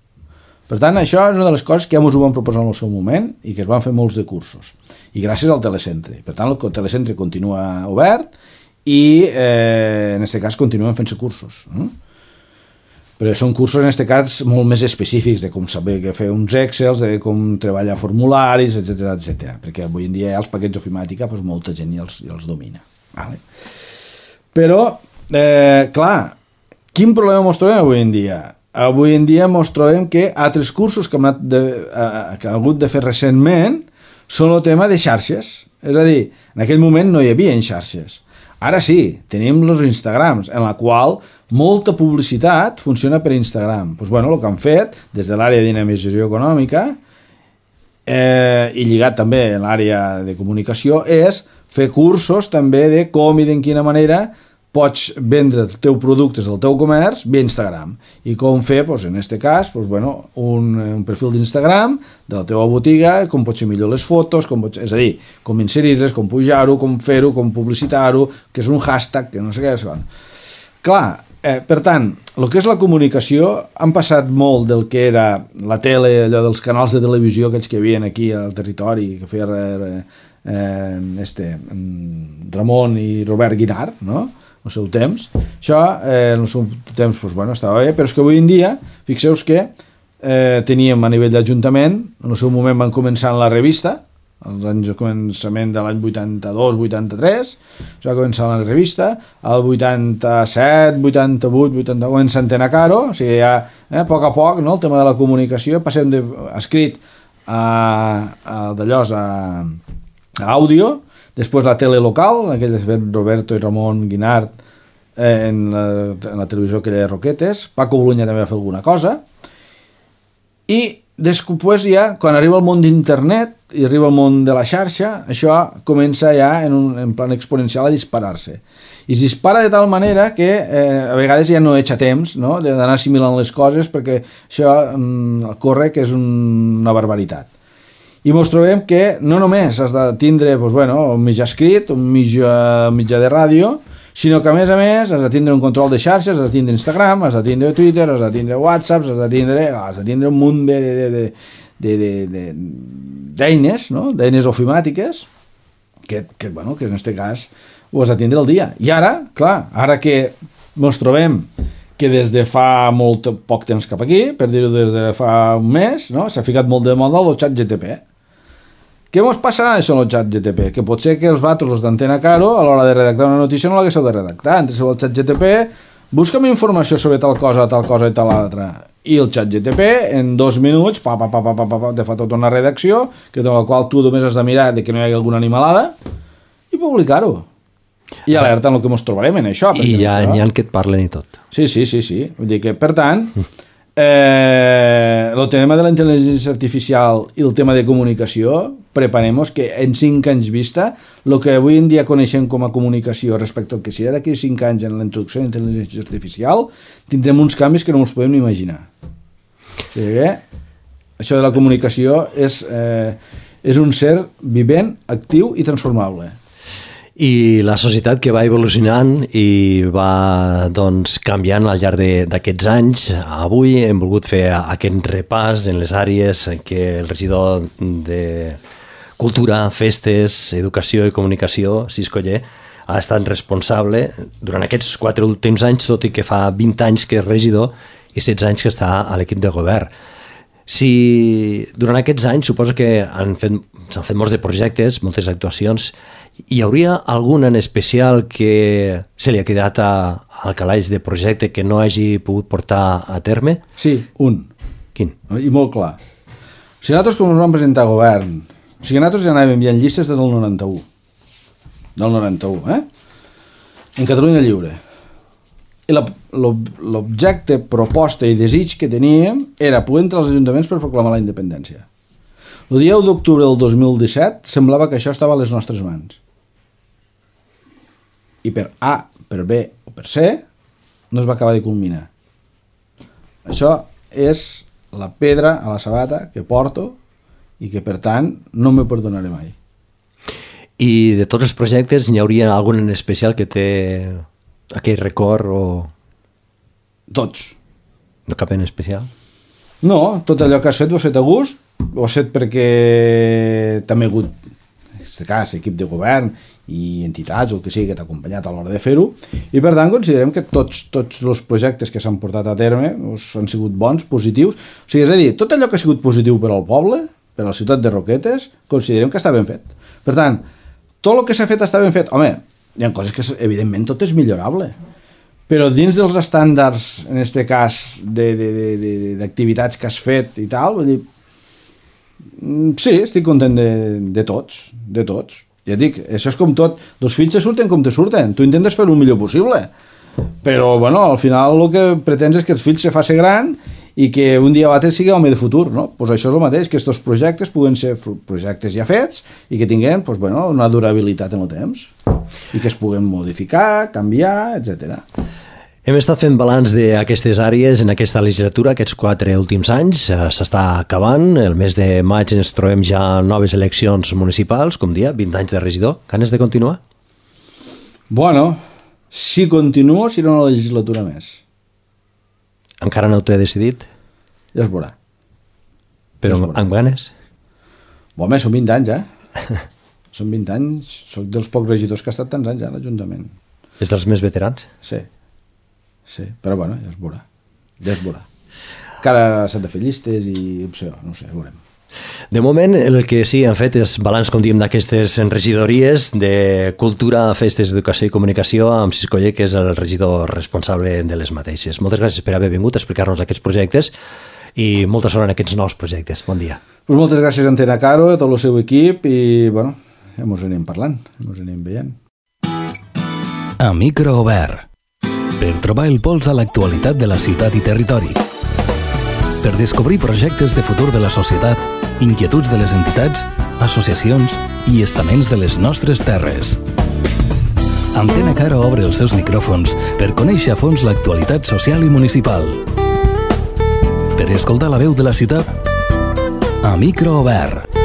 Per tant, això és una de les coses que ja ens ho vam proposar en el seu moment i que es van fer molts de cursos. I gràcies al telecentre. Per tant, el telecentre continua obert i, eh, en aquest cas, continuen fent-se cursos. Eh? Però són cursos, en aquest cas, molt més específics de com saber què fer uns Excels, de com treballar formularis, etcètera, etcètera. Perquè avui en dia ja els paquets d'ofimàtica doncs, molta gent ja els, ja els domina. Vale? Però, eh, clar, quin problema ens trobem avui en dia? Avui en dia ens trobem que altres cursos que hem, anat de, eh, que hem hagut de fer recentment són el tema de xarxes. És a dir, en aquell moment no hi havia xarxes. Ara sí, tenim els Instagrams, en la qual molta publicitat funciona per Instagram. Doncs, bueno, el que han fet des de l'àrea de dinamització econòmica eh, i lligat també a l'àrea de comunicació és fer cursos també de com i de quina manera pots vendre els teus productes del teu comerç via Instagram. I com fer, doncs, en aquest cas, doncs, bueno, un, un perfil d'Instagram de la teva botiga, com pot ser millor les fotos, com pot, és a dir, com inserir-les, com pujar-ho, com fer-ho, com publicitar-ho, que és un hashtag, que no sé què és. Clar, eh, per tant, el que és la comunicació, han passat molt del que era la tele, allò dels canals de televisió, aquells que hi havia aquí al territori, que feia eh, eh, este, Ramon i Robert Guinart, no?, el seu temps. Això, eh, en el seu temps, doncs, bueno, estava bé, però és que avui en dia, fixeu que eh, teníem a nivell d'Ajuntament, en el seu moment van començar en la revista, als anys de començament de l'any vuitanta-dos vuitanta-tres, es va començar en la revista, al vuitanta-set, vuitanta-vuit, vuitanta-nou, en Antena Caro, o sigui, ja, eh, a poc a poc, no?, el tema de la comunicació, passem d'escrit a, a d'allòs a, a àudio, després la tele local, aquell de Roberto i Ramon Guinart eh, en, la, en la televisió aquella de Roquetes, Paco Bolunya també va fer alguna cosa, i després ja, quan arriba el món d'internet i arriba el món de la xarxa, això comença ja en un en plan exponencial a disparar-se. I es dispara de tal manera que eh, a vegades ja no echa temps, no?, d'anar assimilant les coses, perquè això mm, corre que és un, una barbaritat. I ens trobem que no només has de tindre doncs, bueno, un mitjà escrit, un mitjà, un mitjà de ràdio, sinó que a més a més has de tindre un control de xarxes, has de tindre Instagram, has de tindre Twitter, has de tindre WhatsApp, has de tindre, has de tindre un munt de, de, de, de, de, de, d'eines, no?, d'eines ofimàtiques, que, que, bueno, que en aquest cas ho has de tindre al dia. I ara, clar, ara que ens trobem que des de fa molt poc temps cap aquí, per dir-ho des de fa un mes, no?, s'ha ficat molt de moda el xat G T P. Què ens passarà això amb el xat G T P? Que pot ser que els vatos, els d'Antena Caro, a l'hora de redactar una notícia no l'haguéssiu de redactar. Entreu al xat G T P, busca'm informació sobre tal cosa, tal cosa i tal altra. I el xat G T P, en dos minuts, pa, pa, pa, pa, pa, pa, te fa tota una redacció, que de la qual tu només has de mirar de que no hi hagi alguna animalada, i publicar-ho. I alerta en el que ens trobarem en això. I ja n'hi ha que et parlen i tot. Sí, sí, sí, sí. Vull dir que, per tant, eh, el tema de la intel·ligència artificial i el tema de comunicació, preparem-nos que en cinc anys vista, el que avui en dia coneixem com a comunicació respecte al que serà d'aquí cinc anys en la introducció de la intel·ligència artificial, tindrem uns canvis que no ens podem ni imaginar. O sigui que això de la comunicació és, eh, és un ser vivent, actiu i transformable. I la societat que va evolucionant i va doncs, canviant al llarg d'aquests anys. Avui hem volgut fer aquest repàs en les àrees que el regidor de Cultura, Festes, Educació i Comunicació, Cisco Oller, ha estat responsable durant aquests quatre últims anys, tot i que fa vint anys que és regidor i setze anys que està a l'equip de govern. Si durant aquests anys suposo que han fet, s'han fet molts de projectes, moltes actuacions, hi hauria algun en especial que se li ha quedat a, al calaix de projecte que no hagi pogut portar a terme? Sí, un. Quin? I molt clar. O sigui, nosaltres com ens vam presentar a govern, o sigui, nosaltres ja anàvem enviant llistes des del noranta-u. Del noranta-u, eh? En Catalunya Lliure. I l'objecte, proposta i desig que teníem era poder entrar als ajuntaments per proclamar la independència. El dia u d'octubre del dos mil disset semblava que això estava a les nostres mans. I per A, per B o per C no es va acabar de culminar. Això és la pedra a la sabata que porto i que per tant no me perdonaré mai. I de tots els projectes n'hi hauria algun en especial que té aquell record o... Tots. No cap en especial? No, tot allò que has fet ho has fet a gust, ho has fet perquè també ha hagut, en aquest cas, equip de govern i entitats o el que sigui que t'ha acompanyat a l'hora de fer-ho, i per tant considerem que tots, tots els projectes que s'han portat a terme doncs, han sigut bons, positius, o sigui, és a dir, tot allò que ha sigut positiu per al poble, per a la ciutat de Roquetes, considerem que està ben fet. Per tant, tot el que s'ha fet està ben fet. Home, hi ha coses que, evidentment, tot és millorable. Però dins dels estàndards, en aquest cas, d'activitats que has fet i tal, vull dir, sí, estic content de, de tots, de tots. Ja dic, això és com tot, els fills se surten com te surten, tu intentes fer el millor possible. Però, bueno, al final el que pretens és que els fills se faci gran i que un dia o altre sigui home de futur, no? Pues això és el mateix, que aquests projectes puguen ser projectes ja fets i que tinguin pues, bueno, una durabilitat en el temps i que es puguen modificar, canviar, etcètera. Hem estat fent balanç d'aquestes àrees en aquesta legislatura, aquests quatre últims anys. S'està acabant, el mes de maig ens trobem ja noves eleccions municipals, com dia, vint anys de regidor. Ganes de continuar? Bueno, si continuo serà una legislatura més. Encara no t'he decidit? Ja es veurà. Però ja es veurà. Amb ganes? Home, són vint anys, eh? Són vint anys. Soc dels pocs regidors que ha estat tants anys a l'Ajuntament. És dels més veterans? Sí. Sí, però bueno, ja es veurà. Ja es veurà. Encara s'han de fer llistes i opció, no sé, veurem. De moment, el que sí han fet és balanç, com diem, d'aquestes regidories de Cultura, Festes, Educació i Comunicació amb Siscoller, que és el regidor responsable de les mateixes. Moltes gràcies per haver vingut a explicar-nos aquests projectes i molta sort en aquests nous projectes. Bon dia. Pues moltes gràcies a Antena Caro, a tot el seu equip i, bueno, ja mos anem parlant, mos anem veient. A micro obert. Per trobar el pols a l'actualitat de la ciutat i territori. Per descobrir projectes de futur de la societat, inquietuds de les entitats, associacions i estaments de les nostres terres. Antena Caro obre els seus micròfons per conèixer a fons l'actualitat social i municipal. Per escoltar la veu de la ciutat, a micro obert.